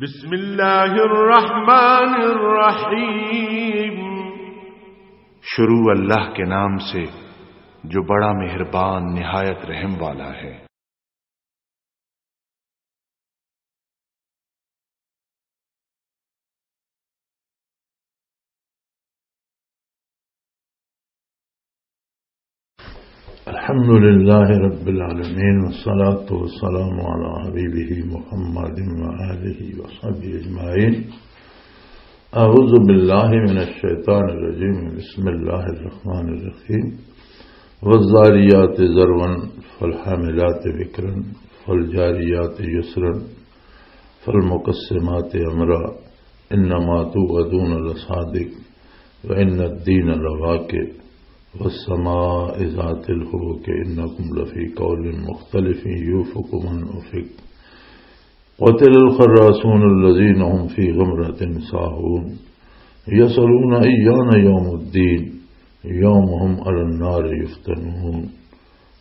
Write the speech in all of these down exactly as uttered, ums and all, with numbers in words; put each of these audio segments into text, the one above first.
بسم اللہ الرحمن الرحیم۔ شروع اللہ کے نام سے، جو بڑا مہربان، نہایت رحم والا ہے۔ الحمد لله رب العالمين، والصلاة والسلام على حبيبه محمد وآله وصحبه أجمعين. أعوذ بالله من الشيطان الرجيم. بسم الله الرحمن الرحيم. والذاريات ذروا فالحاملات وقرا فالجاريات يسرا فالمقسمات أمرا إنما توعدون لصادق وإن الدين لواقع والسماء ذات الحبك إنكم لفي قول مختلف يوفك من أفك قتل الخراسون الذين هم في غمرة ساهون يسألون أيان يوم الدين يوم هم على النار يفتنون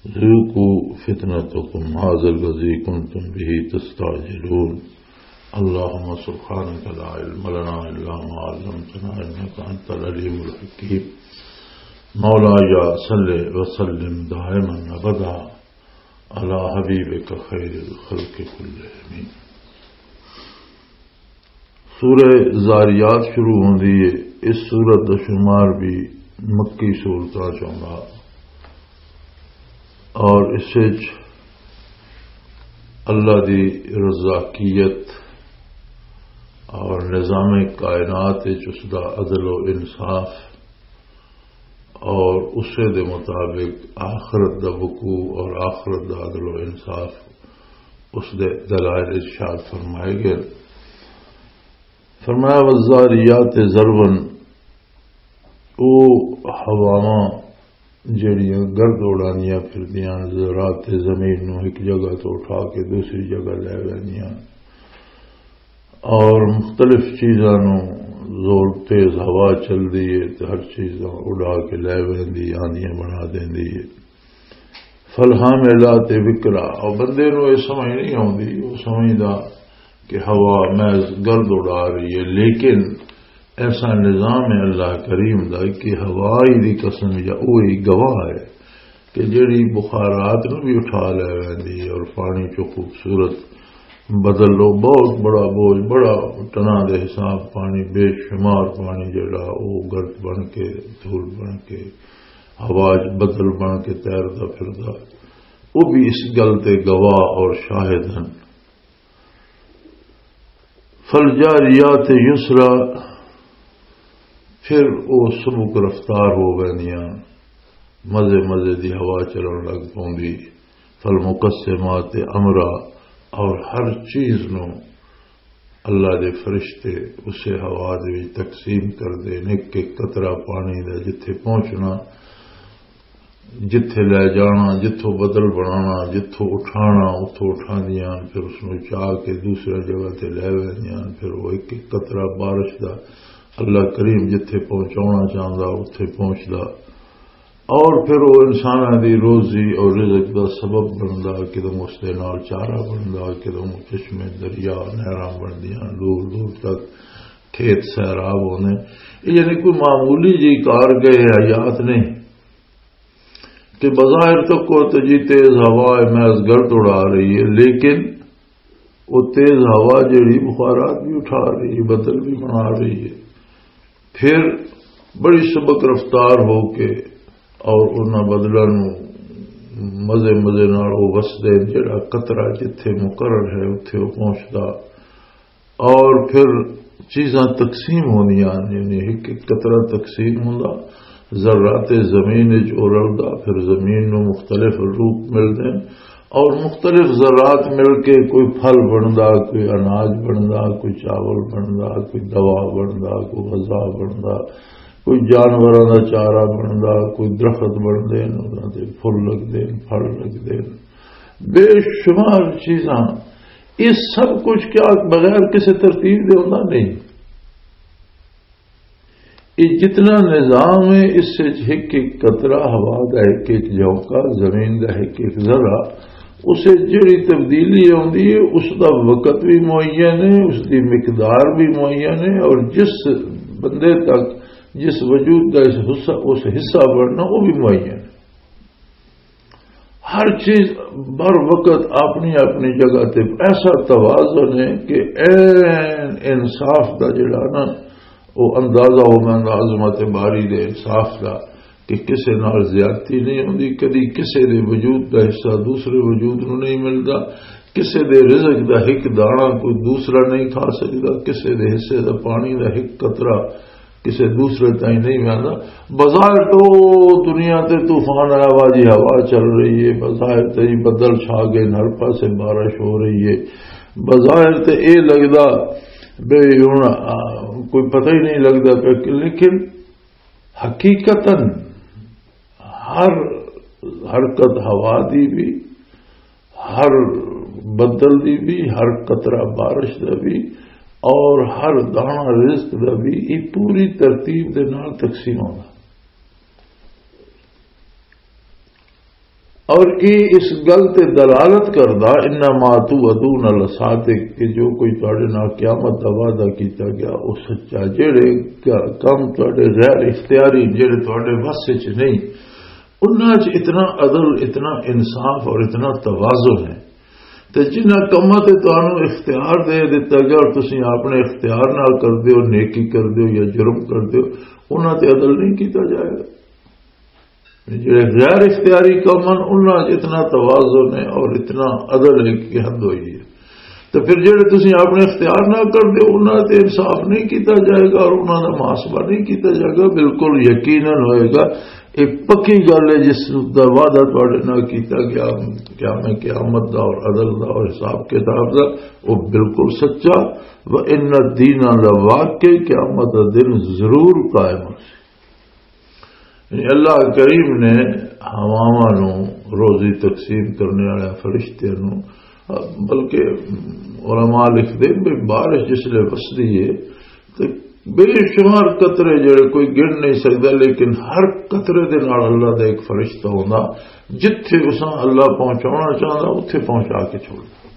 ذوقوا فتنتكم هذا الذي كنتم به تستعجلون. اللهم سبحانك لا علم لنا إلا ما علمتنا إنك أنت العليم الحكيم. مولاي صل وسلم دائما أبدا على حبيبك خير الخلق كلهم. سورہ زاریات شروع ہوندی ہے۔ اس سورت دا شمار بھی مکی سورتاں چ ہوندا اور اس وچ اللہ دی رزاقیت اور نظام کائنات وچ اس دا عدل و انصاف اور اسے دے مطابق آخرت دا وقوع اور آخرت دا عدل و انصاف، اس دے دلائل ارشاد فرمائے گئے۔ فرمایا، "والذاریات ذرون"، او ہواواں جڑیاں گرد اڑاندیاں پھردیاں، ذرات زمین نوں ایک جگہ تو اٹھا کے دوسری جگہ لے ویندیاں، اور مختلف چیزاں نوں، زور تیز ہوا چلدی ہے تے ہر چیز نوں اڑا کے لے ویندی، آندیاں بنا دیندی ہے۔ فالحاملات وقرا، اور بندے نوں یہ سمجھ نہیں آوندی، وہ سمجھدا کہ ہوا محض گرد اڑا رہی ہے، لیکن ایسا نظام ہے اللہ کریم دا کہ ہوا ہی دی قسم یا وہی گواہ ہے کہ جڑی بخارات نوں بھی اٹھا لے ویندی ہے اور پانی چوں خوبصورت بدل لو، بہت بڑا بوجھ، بڑا ٹنا دے حساب پانی، بے شمار پانی جڑا او گرد بن کے، دھول بن کے، ہوا چ بدل بن کے تیردا پھردا، وہ بھی اس گل تے گواہ اور شاہد ہیں۔ فالجاریات یسرا، پھر او سبک رفتار ہو ویندیاں، مزے مزے دی ہوا چلن لگ پوندی۔ فالمقسمات امرا، اور ہر چیز نو اللہ دے فرشتے اسے ہوا دے وچ تقسیم کر دے نے کہ قطرہ پانی دا جتھے پہنچنا، جتھے لے جانا، جتھوں بدل بنانا، جتھوں اٹھانا، اتھوں اٹھاندیاں، پھر اس نوں چا کے دوسرے جگہ تے لے ویندیاں، پھر وہ ایک ایک قطرہ بارش دا اللہ کریم جتھے پہنچانا چاہندا، اتھے پہنچدا۔ اور پھر وہ انساناں دی روزی اور رزق دا سبب بندا، کدوں اس دے نال چارہ بندا، کدوں چشمے، دریا، نہراں بندیاں، دور دور تک کھیت سیراب ہوندے۔ یہ یعنی کوئی معمولی جی کار گئے حیات نہیں۔ کہ بظاہر تو کوئی تو جی تیز ہوا ہے، محض گرد اڑا رہی ہے، لیکن وہ تیز ہوا جڑی بخارات بھی اٹھا رہی ہے، بدل بھی بنا رہی ہے، پھر بڑی سبک رفتار ہو کے اور انہاں بدلاں نوں مزے مزے نال وہ وسدے، جڑا قطرہ جتھے مقرر ہے اتھے وہ پہنچدا۔ اور پھر چیزاں تقسیم ہوندیاں، یعنی ایک ایک قطرہ تقسیم ہوندا، ذرات زمین وچ او رلدا، پھر زمین نوں مختلف روپ ملدے ہیں اور مختلف ذرات مل کے کوئی پھل بندا، کوئی اناج بندا، کوئی چاول بندا، کوئی دوا بندا، کوئی غذا بندا، کوئی جانوراں دا چارہ بندا، کوئی درخت بندے ہیں، انہاں دے پھل لگدے ہیں، پھل لگدے ہیں، بے شمار چیزاں۔ یہ سب کچھ کیا بغیر کسی ترتیب دے ہوندا؟ نہیں۔ یہ جتنا نظام ہے، اس سے ایک ایک قطرہ ہوا دا، ایک ایک جھونکا زمین دا، ایک ایک ذرہ، اسے جڑی تبدیلی آتی ہے، اس دا وقت بھی معین ہے، اس دی مقدار بھی معین ہے، اور جس بندے تک، جس وجود کا اس حصہ، اس حصہ بننا، وہ بھی معین ہے۔ ہر چیز بر وقت اپنی اپنی جگہ تے ایسا توازن ہے کہ عین انصاف دا جڑا نا، وہ اندازہ ہو میں عظمت باری دے انصاف دا، کہ کسے نال زیادتی نہیں ہوندی، کدی کسے دے وجود دا حصہ دوسرے وجود نوں نہیں ملدا، کسے دے رزق دا ہک دانا کوئی دوسرا نہیں کھا سکدا، کسے دے حصے دا پانی دا ہک قطرہ کسے دوسرے تائیں نہیں ویندا۔ بظاہر تو دنیا تے طوفان آیا وا جی، ہوا چل رہی ہے، بظاہر تے جی بدل چھا گئے، ہر پاسے بارش ہو رہی ہے، بظاہر تے اے لگدا بے ہن، آ، کوئی پتہ ہی نہیں لگدا پیا کہ، لیکن حقیقتاً ہر حرکت ہوا دی بھی، ہر بدل دی بھی، ہر قطرہ بارش دا بھی، اور ہر دانا رزق دا بھی، یہ پوری ترتیب دے نال تقسیم ہونا۔ اور یہ اس گل تے دلالت کردا، "انما توعدون لصادق"، کہ جو کوئی تواڈے نال قیامت دا وعدہ کیتا گیا، وہ سچا۔ جڑے ک-، کم تواڈے غیر اختیاری، جڑے تواڈے وس وچ نہیں، انہاں چ اتنا عدل، اتنا انصاف اور اتنا توازن ہے۔ تے جنہاں کماں تے تانوں اختیار دے دتا گیا اور تسی اپنے اختیار نال کردے ہو، نیکی کردے ہو یا جرم کردے ہو، انہاں تے عدل نہیں کیتا جائے گا۔ جڑے غیر اختیاری کم ہن، انہاں وچ اتنا توازن ہے اور اتنا عدل ہے کہ حد ہوئی ہے۔ تے پھر جڑے تسی اپنے اختیار نال کردے ہو، انہاں تے انصاف نہیں کیتا جائے گا اور انہاں دا محاسبہ نہیں کیتا جائے گا، بالکل یقیناً ہوئے گا۔ یہ پکی گل ہے، جس دا وعدہ تواڈے نال کیتا گیا، قیام، قیامت دا اور عدل دا اور حساب کتاب دا، وہ بالکل سچا۔ وَإِنَّ الدِّينَ لَوَاقِعٌ، قیامت دا دن ضرور قائم ہو۔ یعنی اللہ کریم نے ہواواں نوں، روزی تقسیم کرنے والے فرشتے نوں، بلکہ علماء لکھتے ہیں کہ بارش جس لئے وسدی ہے تو بے شمار قطرے جڑے کوئی گن نہیں سکتا، لیکن ہر قطرے دے نال اللہ دا ایک فرشتہ ہوندا، جتھے اساں اللہ پہنچاونا چاہندا، اتھے پہنچا کے چھوڑدا۔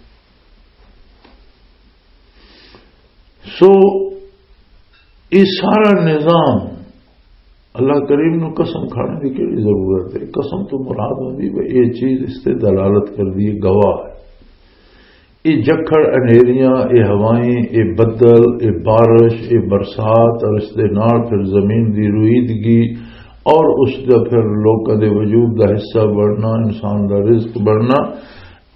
سو، یہ سارا نظام، اللہ کریم نو قسم کھانے کی کیڑی ضرورت ہے؟ قسم تو مراد ہوندی ہے یہ چیز اس تے دلالت کر دی، گواہ ہے۔ یہ جکھڑ، انہیریاں، یہ ہوائیں، یہ بدل، یہ بارش، یہ برسات اور اس دے نال پھر زمین دی رویدگی اور اس دا پھر لوکاں دے وجود دا حصہ بننا، انسان دا رزق بننا،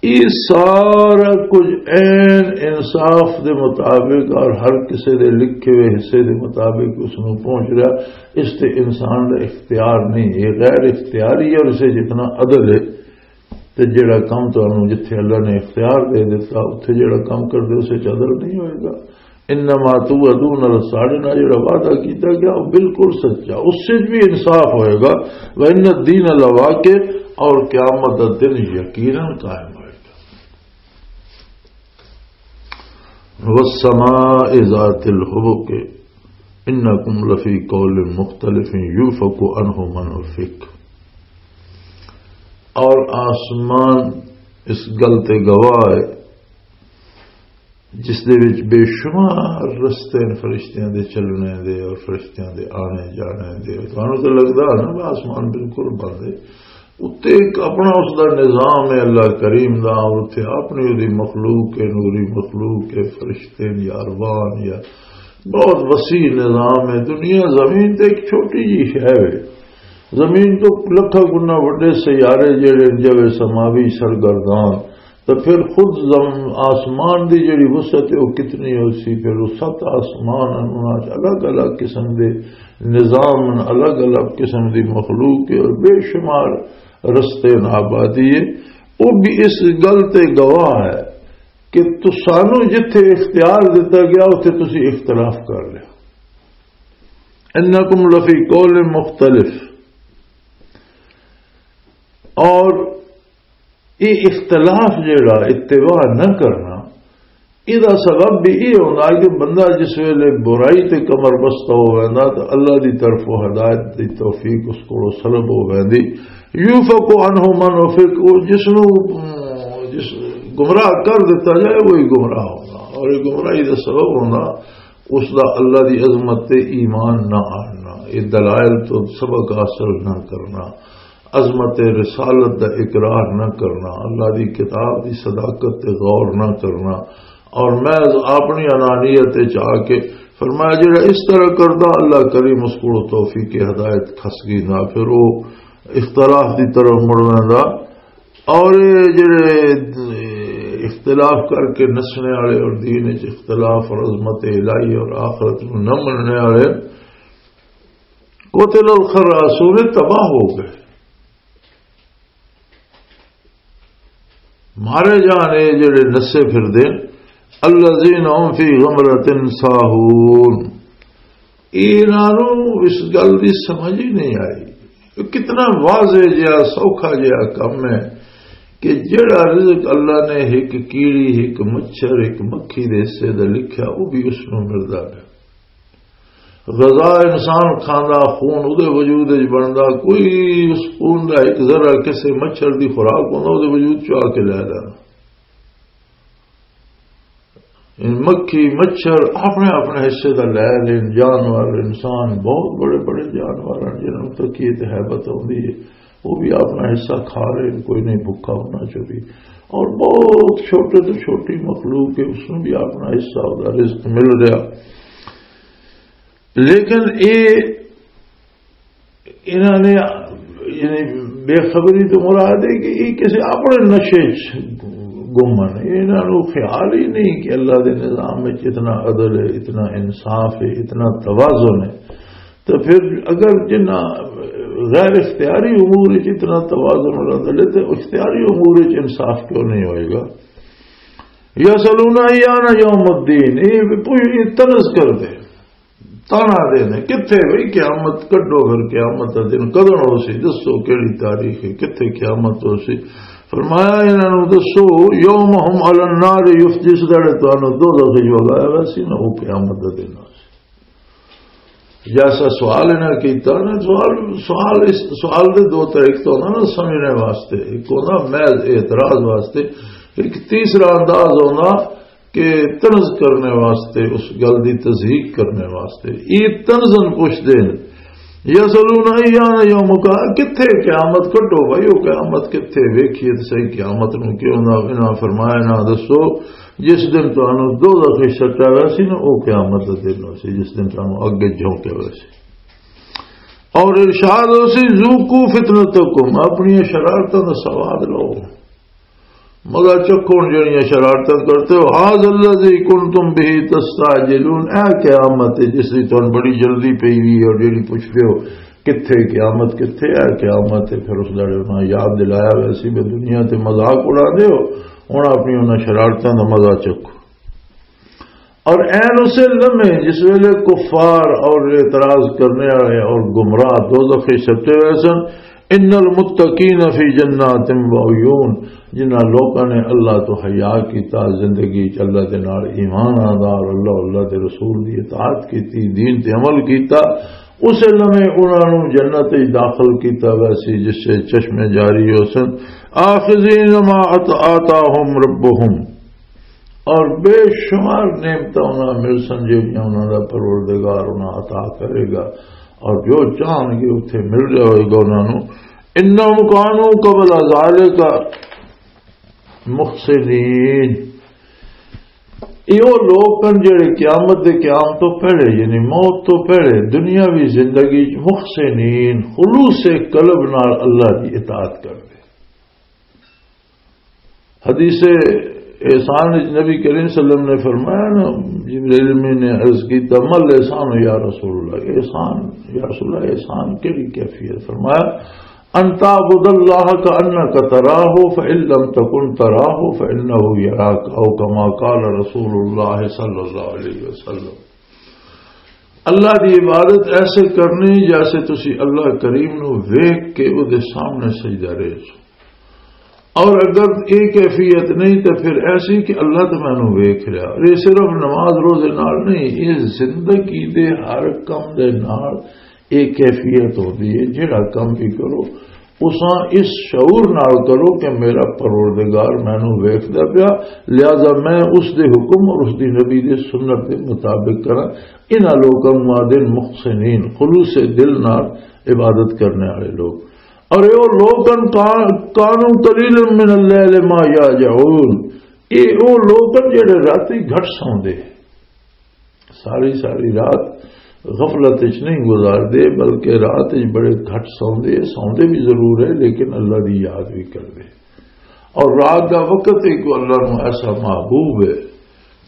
یہ سارا کچھ عین انصاف دے مطابق اور ہر کسے دے لکھے ہوئے حصے دے مطابق اس نوں پہنچ رہا۔ اس تے انسان دا اختیار نہیں، یہ غیر اختیاری ہے اور اسے جتنا عدل ہے۔ تے جڑا کم تانوں جتھے اللہ نے اختیار دے دتا، اتھے جڑا کم کردے، اسے چ عدل نہیں ہوئے گا۔ انما توعدون، ساڈے نال جڑا وعدہ کیتا گیا، وہ بالکل سچا، اس سے بھی انصاف ہوئے گا۔ وَإِنَّ الدِّينَ لَوَاقِعٌ، اور قیامت دا دن یقیناً قائم ہوئے گا۔ وَالسَّمَاءِ ذَاتِ الْحُبُكِ، إِنَّكُمْ لَفِي قَوْلٍ مُخْتَلِفٍ، يُؤْفَكُ عَنْهُ مَنْ أُفِكَ۔ اور آسمان اس گل تے گواہ ہے، جس دے وچ بے شمار رستے ہیں فرشتیاں دے چلنے دے اور فرشتیاں دے آنے جانے دے۔ تانوں تے لگدا ہے نا، آسمان بالکل بند ہے۔ اُتے ایک اپنا اس دا نظام ہے اللہ کریم دا، اور اُتے اپنی اُدی مخلوق ہے، نوری مخلوق ہے، فرشتے یا ارواح یا بہت وسیع نظام ہے۔ دنیا زمین تے ایک چھوٹی جی شے ہے۔ زمین تو لکھاں گنا وڈے سیارے جڑے جوے سماوی سرگردان، تے پھر خود زم-، آسمان دی جڑی وسعت ہے، وہ کتنی ہو سی؟ پھر وہ ست آسمان ہیں، انہاں چ الگ الگ قسم دے نظام ہیں، الگ الگ قسم دی مخلوق ہے اور بے شمار رستے ہیں، آبادی ہے۔ وہ بھی اس گل تے گواہ ہے کہ تسانوں جتھے اختیار دتا گیا، اتھے تسی اختلاف کر لیا۔ انکم لفی قول مختلف۔ اور یہ اختلاف جڑا، اتباع نہ کرنا، یہ سبب بھی یہ ہوتا ہے کہ بندہ جس ویلے برائی تے کمر بستہ ہو ویندا تو اللہ دی طرف ہدایت دی توفیق اس کو سلب ہو ویندی۔ یوفق عنہ من افق، وہ جس نو، ام، جس گمراہ کر دیتا جائے، وہی گمراہ ہونا، اور یہ گمراہی کا سبب ہونا اس دا اللہ دی عظمت تے ایمان نہ آنا۔ یہ دلائل تو سبق حاصل نہ کرنا، عظمت رسالت دا اقرار نہ کرنا، اللہ دی کتاب دی صداقت تے غور نہ کرنا، اور محض اپنی انانیت وچ آ کے فرمایا، جڑا اس طرح کردا، اللہ کریم اس کو توفیق ہدایت کھس گئی نہ، پھر وہ اختلاف دی طرف مڑ ویندا۔ اور یہ جڑے اختلاف کر کے نسنے والے اور دین وچ اختلاف اور عظمت الہی اور آخرت نوں نہ مننے والے، قتل الخراسون، تباہ ہو گئے، مارے جانے جڑے نسے پھر دے۔ الذین هم فی غمرۃ ساہون، انہاں نوں اس گل دی سمجھ ہی نہیں آئی۔ یہ کتنا واضح جہا، سوکھا جہا کم ہے کہ جڑا رزق اللہ نے ایک کیڑی، ایک مچھر، ایک مکھی دے حصے دا لکھیا، وہ بھی اس نوں ملدا پیا۔ غذا انسان کھاندا، خون اودے وجود وچ بندا، کوئی اس خون دا ایک ذرہ کسے مچھر دی خوراک ہوندا، اودے وجود چ آ کے لے لینا۔ ان مکھی، مچھر اپنے اپنے حصے دا لے لین، جانور، انسان، بہت بڑے بڑے جانور ہیں جنہاں نوں تکیے تے ہیبت ہوندی ہے، وہ بھی اپنا حصہ کھا لین، کوئی نہیں بھکا ہونا چاہیے۔ اور بہت چھوٹے تو چھوٹی مخلوق ہے، اس نوں بھی اپنا حصہ، اپنا رزق مل رہا۔ لیکن اے، انہاں نے، یعنی، بے خبری تو مراد ہے کہ یہ کسی اپنے نشے چ گم ہیں۔ انہاں نوں خیال ہی نہیں کہ اللہ دے نظام وچ اتنا عدل ہے، اتنا انصاف ہے، اتنا توازن ہے۔ تو پھر اگر جنہاں غیر اختیاری امور وچ اتنا توازن اور عدل ہے، تو اختیاری امور وچ انصاف کیوں نہیں ہوئے گا؟ یسألون ایان یوم الدین، یہ بھی پوچھ، یہ طنز کر دے، تانا دے دے، کتھے بھئی قیامت؟ کڈو پھر قیامت دا دن کدن ہو سی؟ دسو کیڑی تاریخ ہے، کتھے قیامت ہو سی؟ فرمایا، انہاں نوں دسو، یوم هم علی النار یفتنون، جس دڑے تانوں دوزخ وچ وگایا ویسی نا، وہ قیامت دا دن ہو سی۔ جیسا سوال انہاں کیتا نا، سوال، سوال اس، سوال دے دو طرح، ایک تو ہونا نا سمجھنے واسطے، ایک ہونا محض اعتراض واسطے، ایک تیسرا انداز ہونا کہ طنز کرنے واسطے، اس گل دی تضحیق کرنے واسطے۔ یہ طنزن پوچھتے ہیں، یسألون ایان یوم القیامہ، کتھے قیامت؟ کڈو بھائی، وہ قیامت کتھے؟ ویکھیے تے صحیح قیامت نوں۔ کیوں نہ، انہاں فرمایا، نہ دسو جس دن تانوں دوزخ وچ سٹا ویسی نا، او قیامت دا دن ہو سی، جس دن تانوں اگے جھونکیا ویسی۔ اور ارشاد ہو سی، ذوقوا فتنتکم، اپنی شرارتاں دا سواد لو، مزہ چکھو جڑیاں شرارتاں کرتے ہو۔ ھذا الذی کنتم بہ تستعجلون، اے قیامت ہے جس دی تانوں بڑی جلدی پئی وی ہے، اور جڑی پوچھتے ہو کتھے قیامت، کتھے ہے قیامت ہے؟ پھر اس دڑے انہاں یاد دلایا ویسی بھی دنیا تے مذاق اڑا دے ہو، ہن اپنی انہاں شرارتاں دا مزہ چکھو۔ اور این اسے لمحے جس ویلے کفار اور اعتراض کرنے والے اور گمراہ دوزخ وچ سٹے ہوئے سن، ان المتقین فی جنات و عیون، جنہاں لوکاں نے اللہ تو حیا کیتا، زندگی چ اللہ دے نال ایمان آندا اور اللہ، اللہ دے رسول دی اطاعت کیتی، دین تے عمل کیتا، اسے لمحے انہاں نوں جنت وچ داخل کیتا ویسی جس سے چشمے جاری ہو سن۔ آخذین ما آتاہم ربہم، اور بے شمار نعمتاں انہاں مل سن جہڑیاں انہاں دا پروردگار انہاں عطا کرے گا، اور جو چاہن گے اتھے مل جائے گا انہاں نوں۔ انہم کانوا قبل ذالک محسنین، یہ وہ لوگ ہیں جڑے قیامت دے قیام تو پہلے، یعنی موت تو پہلے، دنیاوی زندگی چ محسنین، خلوص قلب نال اللہ دی اطاعت کردے۔ حدیث احسان وچ نبی کریم صلی اللہ علیہ وسلم نے فرمایا نا، جبریل امین نے عرض کیتا، "ما الاحسان یا رسول اللہ؟" احسان، یا رسول اللہ، احسان کیڑی کیفیت؟ فرمایا، "ان تعبد اللہ کأنک تراہ، فإن لم تکن تراہ فإنہ یراک"، او کما قال رسول اللہ صلی اللہ علیہ وسلم۔ اللہ دی عبادت ایسے کرنی جیسے تسی اللہ کریم نو ویکھ کے او دے سامنے سجدہ ریز۔ اور اگر یہ کیفیت نہیں تو پھر ایسی کہ اللہ تو مینوں ویکھ رہا۔ اور یہ صرف نماز روزے نال نہیں، یہ زندگی دے ہر کم دے نال یہ کیفیت ہوندی ہے۔ جڑا کم بھی کرو، تساں اس شعور نال کرو کہ میرا پروردگار مینوں ویکھدا پیا، لہذا میں اس دے حکم اور اس دی نبی دے سنت دے مطابق کراں۔ انہاں لوکاں نوں آدھے محسنین، خلوص دل نال عبادت کرنے والے لوگ۔ اور اے او لوگ ہن، کا-، کانوا قلیلا من اللیل ما یہجعون، اے او لوگ ہن جڑے راتی گھٹ سوندے، ساری ساری رات غفلت وچ نہیں گزاردے، بلکہ رات وچ بڑے گھٹ سوندے۔ سوندے بھی ضرور ہے، لیکن اللہ دی یاد بھی کردے۔ اور رات دا وقت ہی کوئی اللہ نو ایسا محبوب ہے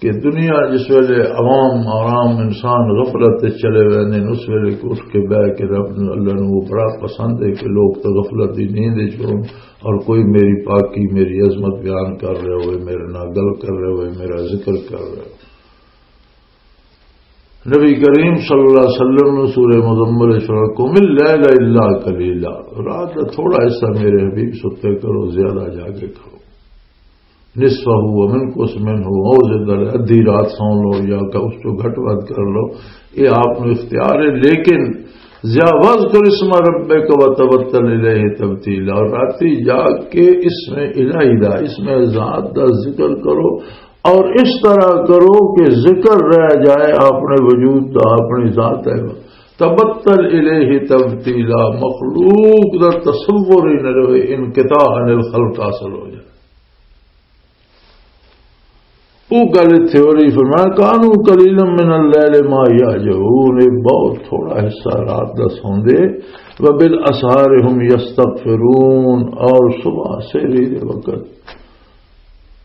کہ دنیا جس ویلے عوام آرام، انسان غفلت وچ چلے ویندے نے، اس ویلے کو اٹھ کے بہ کے رب نو، اللہ نو وہ بڑا پسند ہے کہ لوگ تو غفلت دی نیند وچ ہون اور کوئی میری پاکی، میری عظمت بیان کر رہے ہوئے، میرے نال گل کر رہے ہوئے، میرا ذکر کر رہے ہوئے۔ نبی کریم صلی اللہ علیہ وسلم نے سورہ مزمل وچ فرمایا، "قم اللیل الا قلیلا"، رات دا تھوڑا حصہ میرے حبیب ستے کرو، زیادہ جاگے کرو۔ "نصفہ و منقص منہ"، او زدہ ادھی رات سو لو یا کہ اس تو گھٹ ود کر لو، یہ آپ نو اختیار ہے، لیکن زیا-، "واذکر اسم ربک وتبتل الیہ تبتیلا"، اور راتی جاگ کے اس میں الہی دا، اس میں ذات دا ذکر کرو، اور اس طرح کرو کہ ذکر رہ جائے اپنے وجود دا، اپنی ذات ہے۔ تبتل الیہ تبتیلا، مخلوق دا تصور ہی نہ رہے، انقطاع عن الخلق حاصل ہو جائے۔ وہ گل تھیوری فرمایا، "کانوا قلیلا من اللیل ما یہجعون"، یہ بہت تھوڑا حصہ رات دا سوندے، "وبالاسحار هم یستغفرون"، اور صبح سحری دے وقت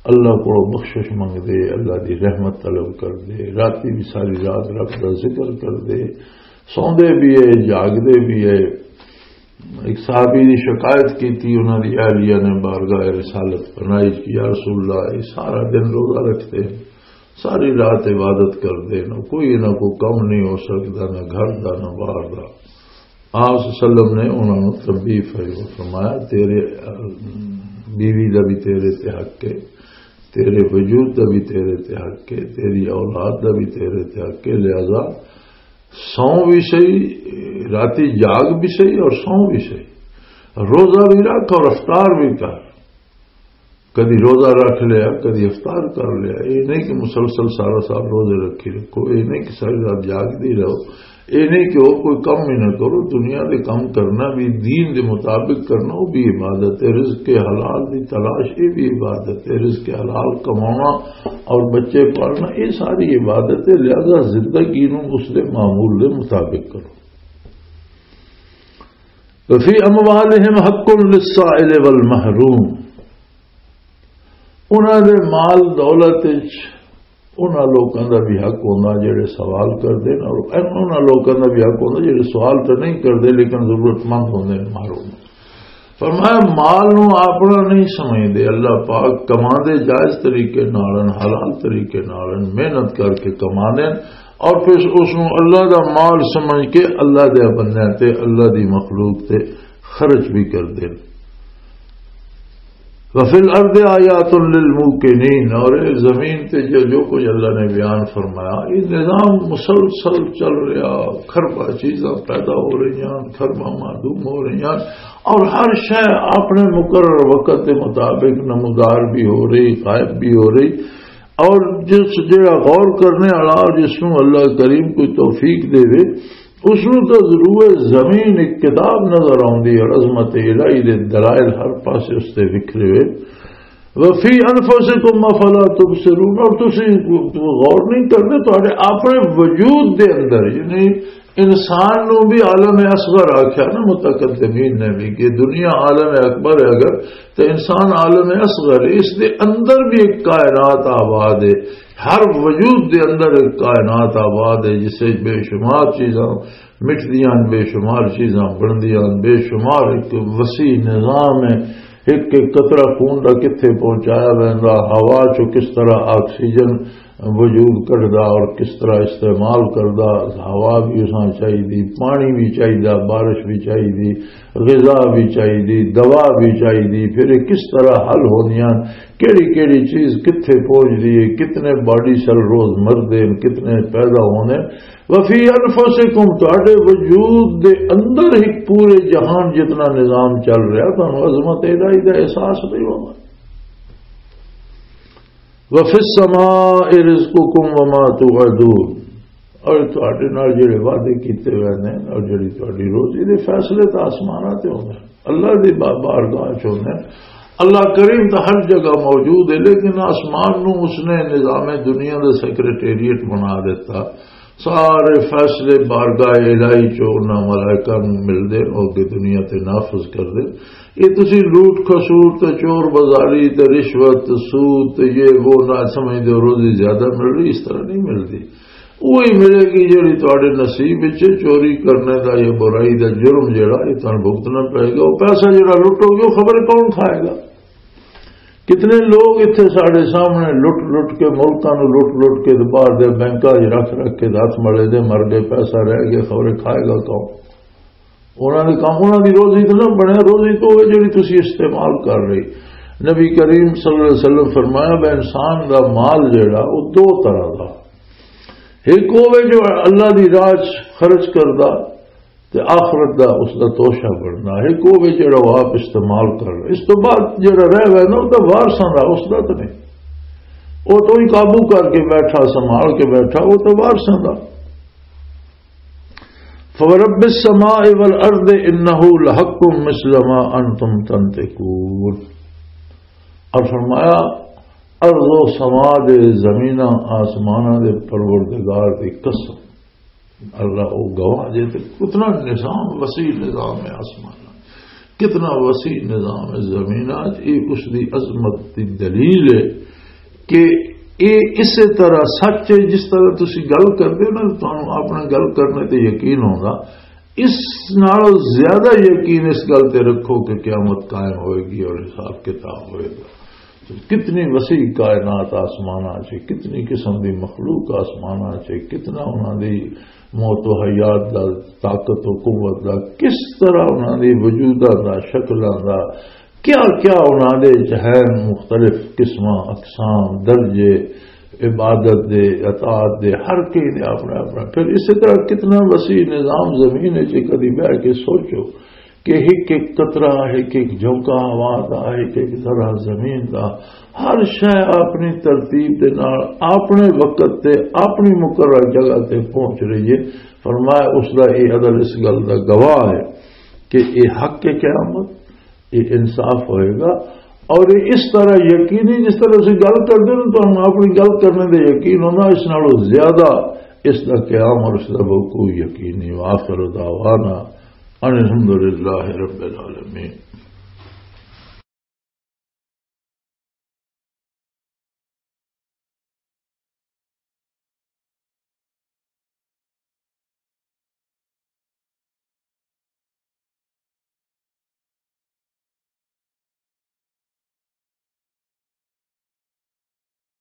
اللہ کو بخشش منگ دے، اللہ دی رحمت طلب کر دے، راتی بھی ساری رات رب دا ذکر کر دے، سوندے بھی ہے، جاگدے بھی ہے۔ ایک صحابی نے شکایت کی تھی، انہوں نے اہلیہ نے بارگاہ رسالت پناہی کی، "یا رسول اللہ، یہ سارا دن روزہ رکھتے ہیں، ساری رات عبادت کرتے ہیں، کوئی نہ کوئی کم نہیں ہو سکتا، نہ گھر دا، نہ باہر دا۔" آپ صلی اللہ علیہ وسلم نے انہوں نے تنبیہ فرمایا، "تیرے، آ، بیوی دا بھی تیرے تے حق ہے، تیرے وجود دا بھی تیرے تے حق ہے، تیری اولاد دا بھی تیرے تے حق ہے، لہذا سو بھی صحیح، راتی جاگ بھی صحیح اور سو بھی صحیح، روزہ بھی رکھ اور افطار بھی کر۔" کدی روزہ رکھ لیا، کدی افطار کر لیا۔ یہ نہیں کہ مسلسل سارا سال روزے رکھی رکھو، یہ نہیں کہ ساری رات جاگدی رہو، یہ نہیں کہ وہ کوئی کم ہی نہ کرو۔ دنیا دے کم کرنا بھی، دین دے مطابق کرنا، وہ بھی عبادت ہے۔ رزق حلال دی تلاش، یہ بھی عبادت ہے۔ رزق حلال کمانا اور بچے پالنا، یہ ساری عبادت ہے۔ لہذا زندگی نو اس دے معمول دے مطابق کرو۔ وفی اموالہم حق للسائل والمحروم، انہاں دے مال دولت وچ انہاں لوکاں دا بھی حق ہوندا جڑے سوال کردے نے، اور انہاں لوکاں دا بھی حق ہوندا جڑے سوال تے نہیں کردے لیکن ضرورت مند ہوندے نے، محروم۔ فرمایا، مال نو اپنا نہیں سمجھدے، اللہ پاک کماندے جائز طریقے نال ہن، حلال طریقے نال ہن، محنت کر کے کماندے ہن، اور پھر اس نو اللہ دا مال سمجھ کے اللہ دے بندیاں تے، اللہ دی مخلوق تے خرچ بھی کردے ہن۔ وفی الارض آیات للموقنین، اور اے زمین تے جو، جو کچھ اللہ نے بیان فرمایا، یہ نظام مسلسل چل رہا، کھربا چیزاں پیدا ہو رہی ہیں، کھربا معدوم ہو رہی ہیں، اور ہر شے اپنے مقرر وقت کے مطابق نمودار بھی ہو رہی، غائب بھی ہو رہی۔ اور جس جڑا غور کرنے والا، جس نوں اللہ کریم کوئی توفیق دے، اس نوں تاں ضرور زمین ایک کتاب نظر آوندی ہے، عظمت الہی دے دلائل ہر پاسے اس تے وکھرے ہوئے۔ وفی انفسکم افلا تبصرون، اور تسی غور نہیں کرتے، تہاڈے اپنے وجود دے اندر، یعنی انسان نو بھی عالم اصغر آکھیا نا متقدمین نے بھی، کہ دنیا عالم اکبر ہے اگر، تو انسان عالم اصغر ہے، اس دے اندر بھی ایک کائنات آباد ہے، ہر وجود دے اندر ایک کائنات آباد ہے، جس وچ بے شمار چیزاں مٹدیاں، بے شمار چیزاں بندیاں، بے شمار ایک وسیع نظام ہے۔ ایک ایک قطرہ خون دا کتھے پہنچایا ویندا، ہوا چوں کس طرح آکسیجن وجود کڈدا اور کس طرح استعمال کردا۔ ہوا بھی اساں چاہیدی، پانی بھی چاہیدا، بارش بھی چاہیدی، غذا بھی چاہیدی، دوا بھی چاہیدی، پھر یہ کس طرح حل ہوندیاں، کیڑی کیڑی چیز کتھے پہنچدی ہے، کتنے باڈی سیل روز مردے ہیں، کتنے پیدا ہوندے ہیں۔ وفی انفسکم، تہاڈے وجود دے اندر ہی پورے جہان جتنا نظام چل رہا، تہانوں عظمت الہی دا احساس نہیں ہونا۔ وفی السماء رزقکم وما توعدون، اور تہاڈے نال جڑے وعدے کیتے ہوئے نے اور جڑی تہاڈی روزی دے فیصلے تاں آسماناں تے ہوندے نے، اللہ دی با-، بارگاہ چ ہوندے نے۔ اللہ کریم تاں ہر جگہ موجود ہے، لیکن آسمان نو اس نے نظام دنیا دا سیکرٹریٹ بنا دیتا۔ سارے فیصلے بارگاہ الہی چوں انہاں ملائکہ نوں ملدے، او اگے دنیا تے نافذ کردے۔ یہ تسی لوٹ کھسوٹ تے چور بازاری تے رشوت تے سود تے یہ وہ نہ سمجھدے ہو، روزی زیادہ مل رہی، اس طرح نہیں ملدی۔ وہی ملے گی جڑی تہاڈے نصیب وچ ہے۔ چوری کرنے دا یا برائی دا جرم جڑا، یہ تہانوں بھگتنا پے گا۔ وہ پیسہ جڑا لٹو گے، وہ خبر کون کھائے گا؟ کتنے لوگ اتھے ساڈے سامنے لٹ لٹ کے، ملکاں نوں لٹ لٹ کے تے باہر دے بینکاں 'چ رکھ رکھ کے تے ہتھ ملے دے مر گئے، پیسہ رہ گیا، خبرے کھائے گا کون؟ انہاں دے کم، انہاں دی روزی تے نہ بنے، روزی تو ہوئے جڑی تسی استعمال کر رہی۔ نبی کریم صلی اللہ علیہ وسلم فرمایا، بے انسان دا مال جڑا، وہ دو طرح دا، ایک ہوے جو اللہ دی راہ 'چ خرچ کردا، تے آخرت دا اس دا توشہ بننا ہے، کوئی جڑا وہ آپ استعمال کر رہے۔ اس تو بعد جڑا رہ گیا نا، وہ تو وارثاں دا، اس دا تو نہیں۔ وہ تو ہی قابو کر کے بیٹھا، سنبھال کے بیٹھا، وہ تو وارثاں دا۔ فورب السماء والارض انہ لحق مثل ما انتم تنطقون۔ اور فرمایا، ارض و سما دے، زمیناں آسماناں دے پروردگار دی قسم، اللہ او گواہ جے تے کتنا نظام، وسیع نظام ہے آسمان، کتنا وسیع نظام ہے زمین۔ اج یہ اس دی عظمت دی دلیل ہے کہ یہ اسی طرح سچ ہے، جس طرح تسی گل کردے ہو نا، تانوں اپنا گل کرنے تے یقین ہوگا، اس نالوں زیادہ یقین اس گل تے رکھو کہ قیامت قائم ہوئے گی اور حساب کتاب ہوئے گا۔ کتنی وسیع کائنات آسماناں چ، کتنی قسم دی مخلوق آسماناں چ، کتنا انہاں دی موت و حیات دا، طاقت و قوت دا، کس طرح انہاں دی وجوداں دا، شکلاں دا، کیا کیا انہاں دے چ ہے، مختلف قسماں، اقسام، درجے، عبادت دے، اطاعت دے، ہر کہیں دے اپنا اپنا۔ پھر اسی طرح کتنا وسیع نظام زمین ہے جی، کدی بہ کے سوچو کہ ایک ایک قطرہ، ایک ایک جھونکا ہوا دا، ایک ایک ذرہ زمین دا، ہر شے اپنی ترتیب دے نال اپنے وقت تے اپنی مقرر جگہ تے پہنچ رہی ہے۔ فرمایا، اس دا یہ عدل اس گل دا گواہ ہے کہ یہ حق ہے قیامت، یہ انصاف ہوئے گا۔ اور یہ اس طرح یقینی، جس طرح اسی گل کردے نا، تو ہم اپنی گل کرنے دے یقین ہونا، اس نالوں زیادہ اس دا قیام اور اس دا وقوع یقینی۔ وآخر دعوانا ان الحمدللہ رب العالمین۔